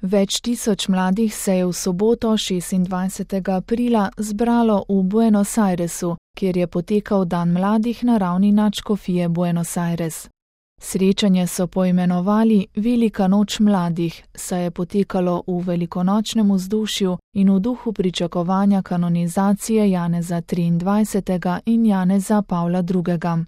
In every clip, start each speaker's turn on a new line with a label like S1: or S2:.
S1: Več tisoč mladih se je v soboto 26. aprila zbralo v Buenos Airesu, kjer je potekal Dan mladih na ravni nadškofije Buenos Aires. Srečanje so poimenovali Velika noč mladih, saj je potekalo v velikonočnem vzdušju in v duhu pričakovanja kanonizacije Janeza 23. in Janeza Pavla II.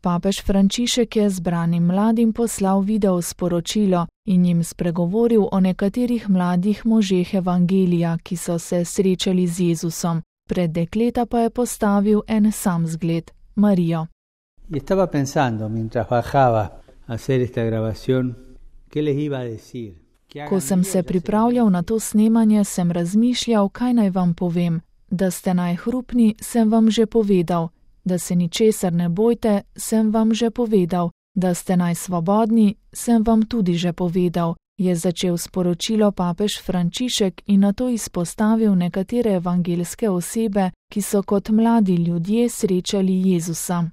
S1: Papež Frančišek je zbranim mladim poslal video sporočilo in jim spregovoril o nekaterih mladih možeh evangelija, ki so se srečali z Jezusom. Pred dekleta pa je postavil en sam zgled, Marijo.
S2: Y estaba pensando, mientras bajaba a hacer esta grabación, ¿qué les iba a decir?
S1: Ko sem se pripravljal na to snemanje, sem razmišljal, kaj naj vam povem. Da ste najhrupni, sem vam že povedal. Da se ničesar ne bojte, sem vam že povedal. Da ste najsvobodni, sem vam tudi že povedal, je začel sporočilo papež Frančišek in nato izpostavil nekatere evangelske osebe, ki so kot mladi ljudje srečali Jezusa.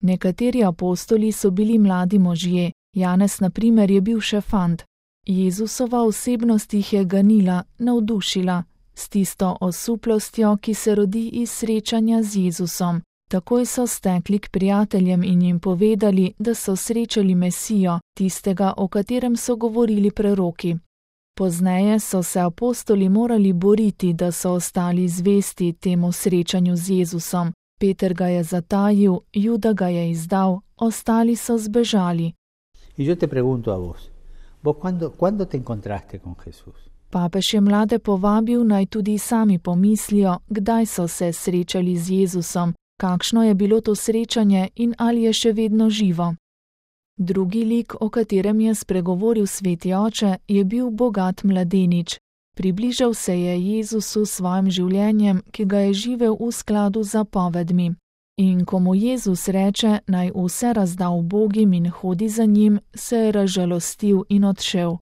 S1: Nekateri apostoli so bili mladi možje, Janez na primer je bil še fant. Jezusova osebnost jih je ganila, navdušila, s tisto osuplostjo, ki se rodi iz srečanja z Jezusom. Takoj so stekli k prijateljem in jim povedali, da so srečali Mesijo, tistega, o katerem so govorili preroki. Pozneje so se apostoli morali boriti, da so ostali zvesti temu srečanju z Jezusom. Peter ga je zatajil, Juda ga je izdal, ostali so zbežali.
S2: Y yo te pregunto a vos ¿cuándo te encontraste con Jesús?
S1: Papež je mlade povabil, naj tudi sami pomislijo, kdaj so se srečali z Jezusom, kakšno je bilo to srečanje in ali je še vedno živo. Drugi lik, o katerem je spregovoril sveti oče, je bil bogat mladenič. Približal se je Jezusu s svojim življenjem, ki ga je živel v skladu z zapovedmi. In ko mu Jezus reče, naj vse razda ubogim in hodi za njim, se je razžalostil in odšel.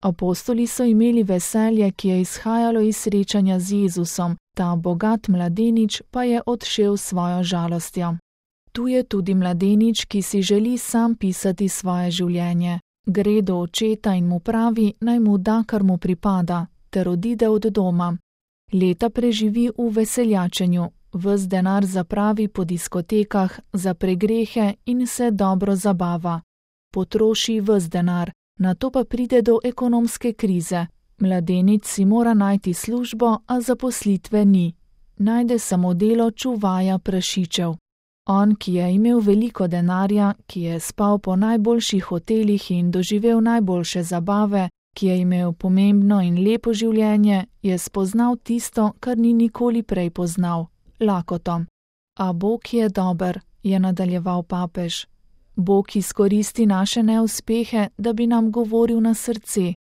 S1: Apostoli so imeli veselje, ki je izhajalo iz srečanja z Jezusom, ta bogat mladenič pa je odšel s svojo žalostjo. Tu je tudi mladenič, ki si želi sam pisati svoje življenje. Gre do očeta in mu pravi, naj mu da, kar mu pripada, ter odide od doma. Leta preživi v veseljačenju, ves denar zapravi po diskotekah, za pregrehe in se dobro zabava. Potroši ves denar, nato pa pride do ekonomske krize. Mladenič si mora najti službo, a zaposlitve ni. Najde samo delo čuvaja prašičev. On, ki je imel veliko denarja, ki je spal po najboljših hotelih in doživel najboljše zabave, ki je imel pomembno in lepo življenje, je spoznal tisto, kar ni nikoli prej poznal – lakoto. A Bog je dober, je nadaljeval papež. Bog izkoristi naše neuspehe, da bi nam govoril na srce.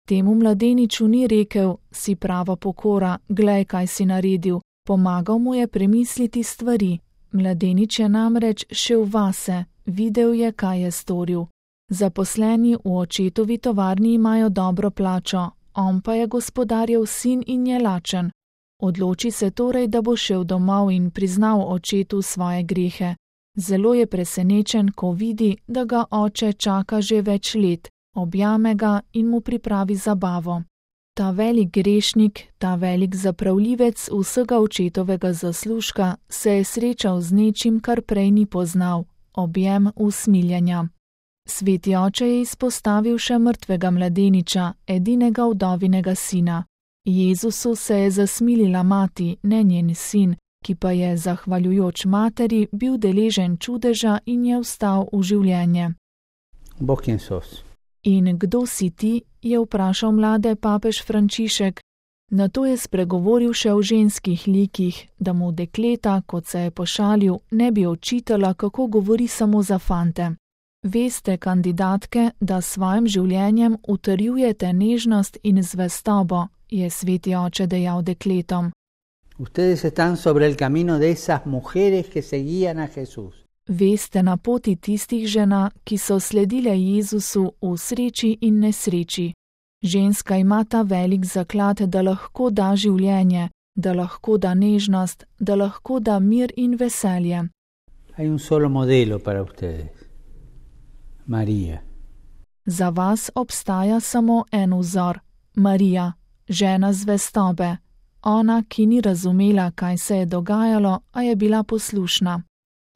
S1: Temu mladeniču ni rekel, si prava pokora, glej, kaj si naredil. Pomagal mu je premisliti stvari. Mladenič je namreč šel vase, videl je, kaj je storil. Zaposleni v očetovi tovarni imajo dobro plačo, on pa je gospodarjev sin in je lačen. Odloči se torej, da bo šel domov in priznal očetu svoje grehe. Zelo je presenečen, ko vidi, da ga oče čaka že več let, objame ga in mu pripravi zabavo. Ta velik grešnik, ta velik zapravljivec vsega očetovega zaslužka se je srečal z nečim, kar prej ni poznal, objem usmiljenja. Sveti oče je izpostavil še mrtvega mladeniča, edinega vdovinega sina. Jezusu se je zasmilila mati, ne njen sin, ki pa je, zahvaljujoč materi, bil deležen čudeža in je vstal v življenje.
S2: Bog kjen sos?
S1: In kdo si ti, je vprašal mlade papež Frančišek. Nato je spregovoril še o ženskih likih, da mu dekleta, kot se je pošalil, ne bi očitala, kako govori samo za fante. Veste, kandidatke, da s svojim življenjem utrjujete nežnost in zvestobo, je sveti oče dejal dekletom.
S2: Ustedes están sobre el camino de esas mujeres que seguían a Jesús.
S1: Veste na poti tistih žena, ki so sledile Jezusu v sreči in nesreči. Ženska ima ta velik zaklad, da lahko da življenje, da lahko da nežnost, da lahko da mir in veselje.
S2: Hay un solo modelo para ustedes. María.
S1: Za vas obstaja samo en vzor, Marija, žena zvestobe, ona, ki ni razumela, kaj se je dogajalo, a je bila poslušna.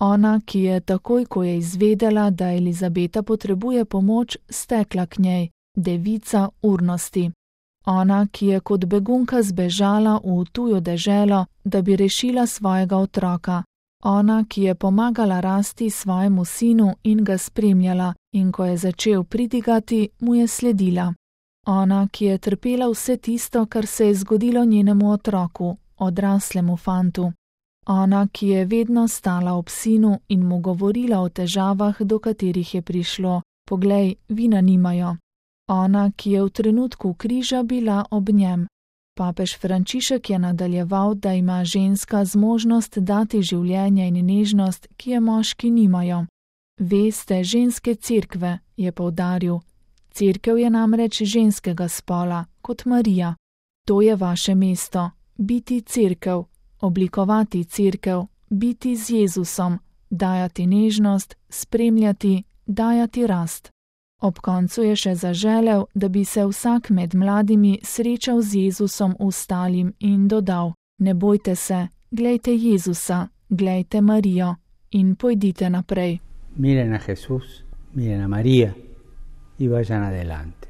S1: Ona, ki je takoj, ko je izvedela, da Elizabeta potrebuje pomoč, stekla k njej, devica urnosti. Ona, ki je kot begunka zbežala v tujo deželo, da bi rešila svojega otroka. Ona, ki je pomagala rasti svojemu sinu in ga spremljala, in ko je začel pridigati, mu je sledila. Ona, ki je trpela vse tisto, kar se je zgodilo njenemu otroku, odraslemu fantu. Ona, ki je vedno stala ob sinu in mu govorila o težavah, do katerih je prišlo. Poglej, vina nimajo. Ona, ki je v trenutku križa bila ob njem. Papež Frančišek je nadaljeval, da ima ženska zmožnost dati življenje in nežnost, ki je moški nimajo. Vi ste ženske cerkve, je poudaril. Cerkev je namreč ženskega spola, kot Marija. To je vaše mesto, biti cerkev, oblikovati cerkev, biti z Jezusom, dajati nežnost, spremljati, dajati rast. Ob koncu je še zaželel, da bi se vsak med mladimi srečal z Jezusom ostalim in dodal: Ne bojte se, glejte Jezusa, glejte Marijo in pojdite naprej.
S2: Miren a Jesús, miren a María y vayan adelante.